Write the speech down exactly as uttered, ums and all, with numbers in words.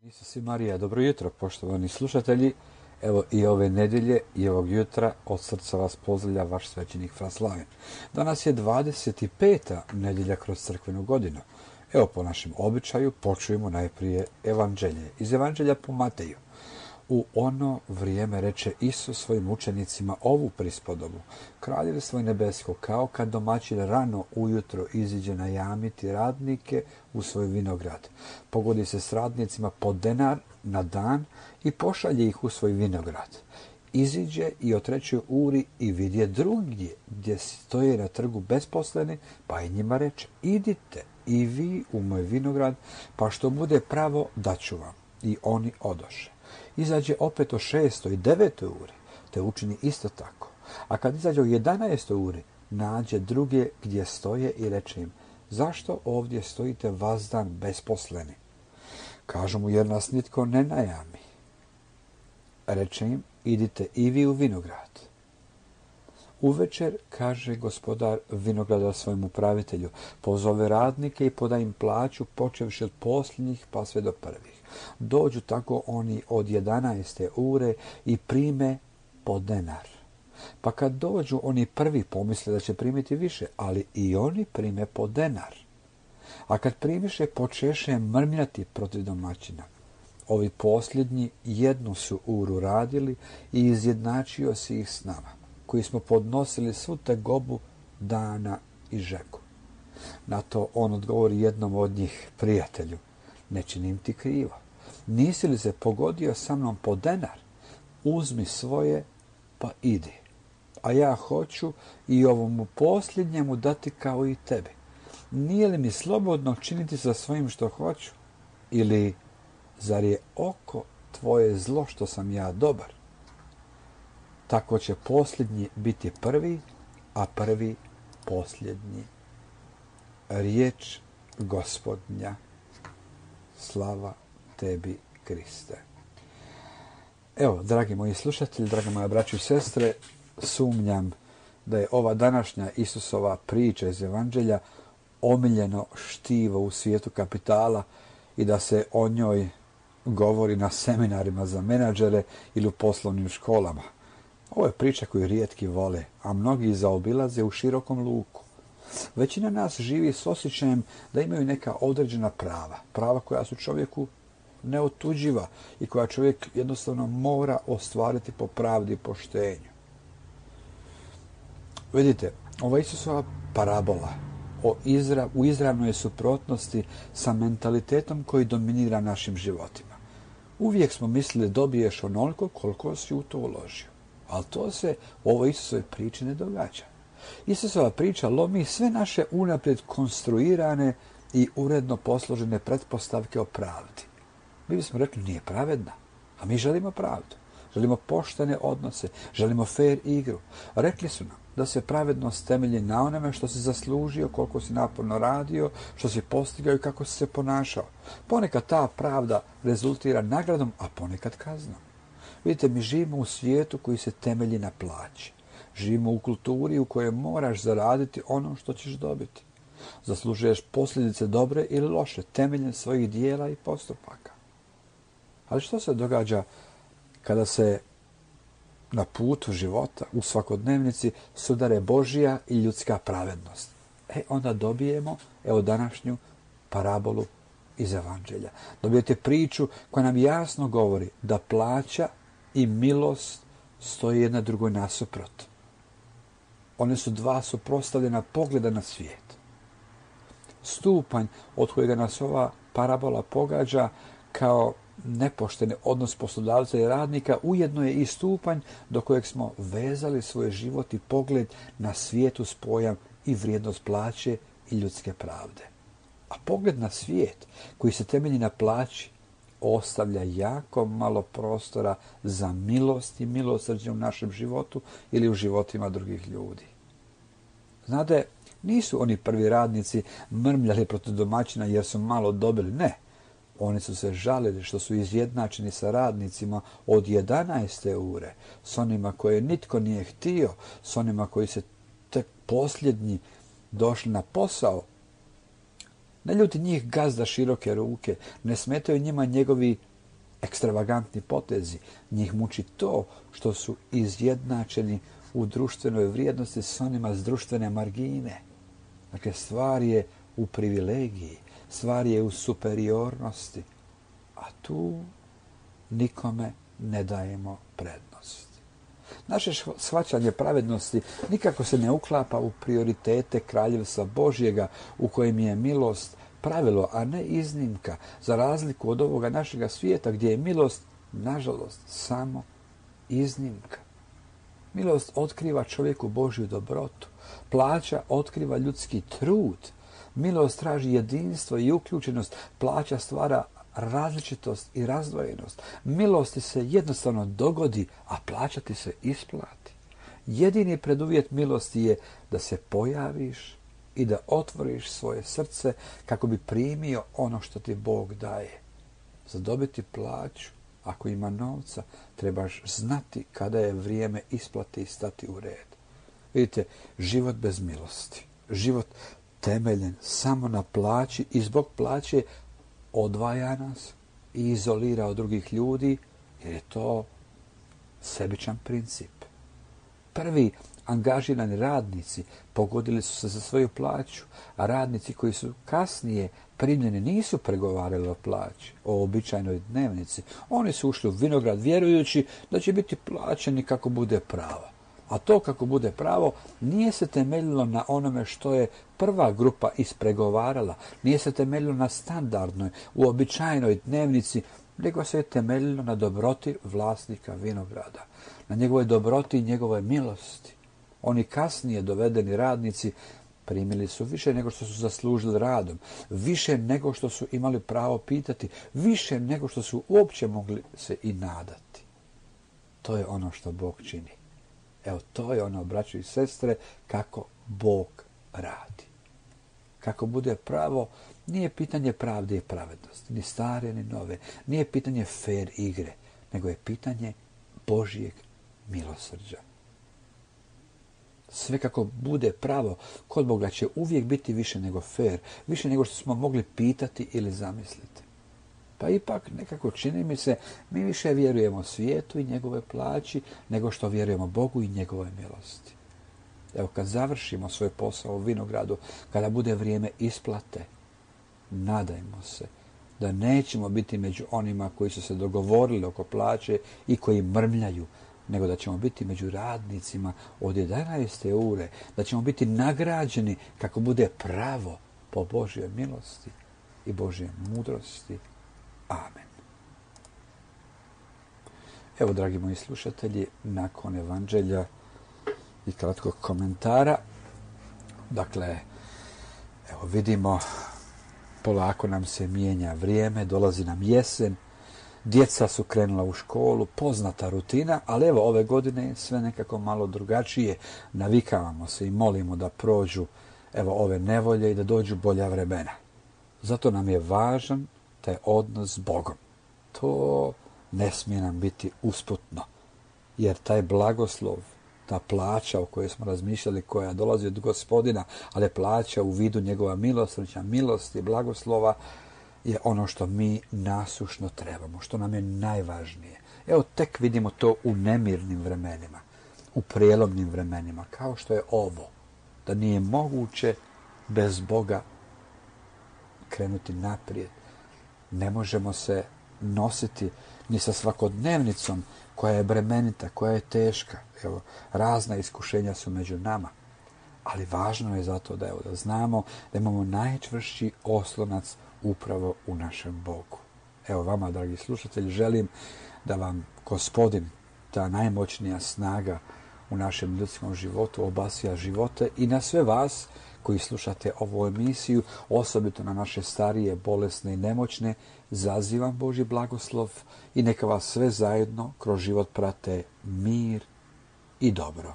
Isus i Marija, dobro jutro, poštovani slušatelji. Evo i ove nedjelje i ovog jutra od srca vas pozdravlja vaš svećenik Fra Slaven. Danas je dvadeset peta nedjelja kroz crkvenu godinu. Evo po našem običaju počujemo najprije evanđelje. Iz evanđelja po Mateju. U ono vrijeme reče Isus svojim učenicima ovu prispodobu. Kraljevstvo je nebesko kao kad domaćin rano ujutro iziđe najamiti radnike u svoj vinograd. Pogodi se s radnicima po denar na dan i pošalje ih u svoj vinograd. Iziđe i o trećoj uri i vidje drugdje gdje stoje na trgu besposleni, pa i njima reče, idite i vi u moj vinograd, pa što bude pravo daću vam. I oni odoše. Izađe opet o šestoj i devetoj uri, te učini isto tako. A kad izađe o jedanaestoj uri, nađe druge gdje stoje i reče im, zašto ovdje stojite vazdan besposleni? Kažu mu, jer nas nitko ne najami. Reče im, idite i vi u vinograd. Uvečer, kaže gospodar vinograda svojem upravitelju, pozove radnike i poda im plaću, počevši od posljednjih pa sve do prvih. Dođu tako oni od jedanaeste ure i prime po denar. Pa kad dođu oni prvi pomisle da će primiti više, ali i oni prime po denar. A kad primiše, počeše mrmljati protiv domaćina. Ovi posljednji jednu su uru radili i izjednačio si ih s nama, koji smo podnosili svu tegobu dana i žeku. Na to on odgovori jednom od njih, prijatelju, ne činim ti krivo. Nisi li se pogodio sa mnom po denar? Uzmi svoje pa idi. A ja hoću i ovomu posljednjemu dati kao i tebi. Nije li mi slobodno činiti sa svojim što hoću? Ili zar je oko tvoje zlo što sam ja dobar? Tako će posljednji biti prvi, a prvi posljednji. Riječ Gospodnja. Slava tebi, Kriste. Evo, dragi moji slušatelji, dragi moja braćo i sestre, sumnjam da je ova današnja Isusova priča iz Evanđelja omiljeno štivo u svijetu kapitala i da se o njoj govori na seminarima za menadžere ili u poslovnim školama. Ovo je priča koju rijetki vole, a mnogi zaobilaze u širokom luku. Većina nas živi s osjećajem da imaju neka određena prava, prava koja su čovjeku neotuđiva i koja čovjek jednostavno mora ostvariti po pravdi i poštenju. Vidite, ova Isusova parabola o izra, u izravnoj suprotnosti sa mentalitetom koji dominira našim životima. Uvijek smo mislili dobiješ onoliko koliko si u to uložio. Ali to se u ovoj Isusovoj priči ne događa. Isusova priča lomi sve naše unaprijed konstruirane i uredno posložene pretpostavke o pravdi. Mi bismo rekli nije pravedna, a mi želimo pravdu. Želimo poštene odnose, želimo fair igru. Rekli su nam da se pravednost temelji na onome što si zaslužio, koliko si naporno radio, što si postigao i kako si se ponašao. Ponekad ta pravda rezultira nagradom, a ponekad kaznom. Vidite, mi živimo u svijetu koji se temelji na plaći. Živimo u kulturi u kojoj moraš zaraditi ono što ćeš dobiti. Zaslužuješ posljedice dobre ili loše, temeljem svojih dijela i postupaka. Ali što se događa kada se na putu života, u svakodnevnici, sudare Božja i ljudska pravednost? E, onda dobijemo, evo današnju parabolu iz Evanđelja. Dobijete priču koja nam jasno govori da plaća i milost stoji jedna drugoj nasuprot. One su dva suprotstavljena pogleda na svijet. Stupanj od kojega nas ova parabola pogađa kao nepošteni odnos poslodavca i radnika ujedno je i stupanj do kojeg smo vezali svoj život i pogled na svijet uz pojam i vrijednost plaće i ljudske pravde. A pogled na svijet koji se temelji na plaći ostavlja jako malo prostora za milost i milosrđe u našem životu ili u životima drugih ljudi. Znate, nisu oni prvi radnici mrmljali protiv domaćina jer su malo dobili. Ne, oni su se žalili što su izjednačeni sa radnicima od jedanaeste ure, s onima koje nitko nije htio, s onima koji se tek posljednji došli na posao. Ne ljuti njih gazda široke ruke, ne smetaju njima njegovi ekstravagantni potezi. Njih muči to što su izjednačeni u društvenoj vrijednosti s onima s društvene margine. Dakle, stvar je u privilegiji, stvar je u superiornosti, a tu nikome ne dajemo prednost. Naše shvaćanje pravednosti nikako se ne uklapa u prioritete kraljevstva Božjega u kojem je milost pravilo, a ne iznimka, za razliku od ovoga našega svijeta gdje je milost, nažalost, samo iznimka. Milost otkriva čovjeku Božju dobrotu, plaća otkriva ljudski trud, milost traži jedinstvo i uključenost, plaća stvara različitost i razdvojenost. Milosti se jednostavno dogodi, a plaća ti se isplati. Jedini preduvjet milosti je da se pojaviš i da otvoriš svoje srce kako bi primio ono što ti Bog daje. Za dobiti plaću, ako ima novca, trebaš znati kada je vrijeme isplati i stati u red. Vidite, život bez milosti, život temeljen samo na plaći i zbog plaće odvaja nas i izolira od drugih ljudi, jer je to sebičan princip. Prvi angažirani radnici pogodili su se za svoju plaću, a radnici koji su kasnije primljeni nisu pregovarali o plaći, o običajnoj dnevnici. Oni su ušli u vinograd vjerujući da će biti plaćeni kako bude pravo. A to kako bude pravo nije se temeljilo na onome što je prva grupa ispregovarala, nije se temeljilo na standardnoj, uobičajenoj dnevnici, nego se je temeljilo na dobroti vlasnika vinograda, na njegovoj dobroti i njegove milosti. Oni kasnije dovedeni radnici primili su više nego što su zaslužili radom, više nego što su imali pravo pitati, više nego što su uopće mogli se i nadati. To je ono što Bog čini. Evo, to je ono, braćo i sestre, kako Bog radi. Kako bude pravo, nije pitanje pravde i pravednosti, ni stare, ni nove. Nije pitanje fer igre, nego je pitanje Božjeg milosrđa. Sve kako bude pravo, kod Boga će uvijek biti više nego fer, više nego što smo mogli pitati ili zamisliti. Pa ipak, nekako čini mi se, mi više vjerujemo svijetu i njegove plaći, nego što vjerujemo Bogu i njegove milosti. Evo, kad završimo svoj posao u vinogradu, kada bude vrijeme isplate, nadajmo se da nećemo biti među onima koji su se dogovorili oko plaće i koji mrmljaju, nego da ćemo biti među radnicima od jedanaeste ure, da ćemo biti nagrađeni kako bude pravo po Božjoj milosti i Božjoj mudrosti. Amen. Evo, dragi moji slušatelji, nakon evanđelja i kratkog komentara, dakle, evo vidimo, polako nam se mijenja vrijeme, dolazi nam jesen, djeca su krenula u školu, poznata rutina, ali evo ove godine sve nekako malo drugačije, navikavamo se i molimo da prođu evo ove nevolje i da dođu bolja vremena. Zato nam je važan taj odnos s Bogom. To ne smije nam biti usputno, jer taj blagoslov, ta plaća o kojoj smo razmišljali, koja dolazi od Gospodina, ali plaća u vidu njegova milosrđa, milosti, blagoslova, je ono što mi nasušno trebamo, što nam je najvažnije. Evo, tek vidimo to u nemirnim vremenima, u prijelomnim vremenima, kao što je ovo, da nije moguće bez Boga krenuti naprijed. Ne možemo se nositi ni sa svakodnevnicom koja je bremenita, koja je teška. Evo, razna iskušenja su među nama, ali važno je zato da, evo, da znamo da imamo najčvršći oslonac upravo u našem Bogu. Evo vama, dragi slušatelji, želim da vam Gospodin, ta najmoćnija snaga u našem ljudskom životu, obasja živote i na sve vas koji slušate ovu emisiju, osobito na naše starije, bolesne i nemoćne, zazivam Božji blagoslov i neka vas sve zajedno kroz život prate mir i dobro.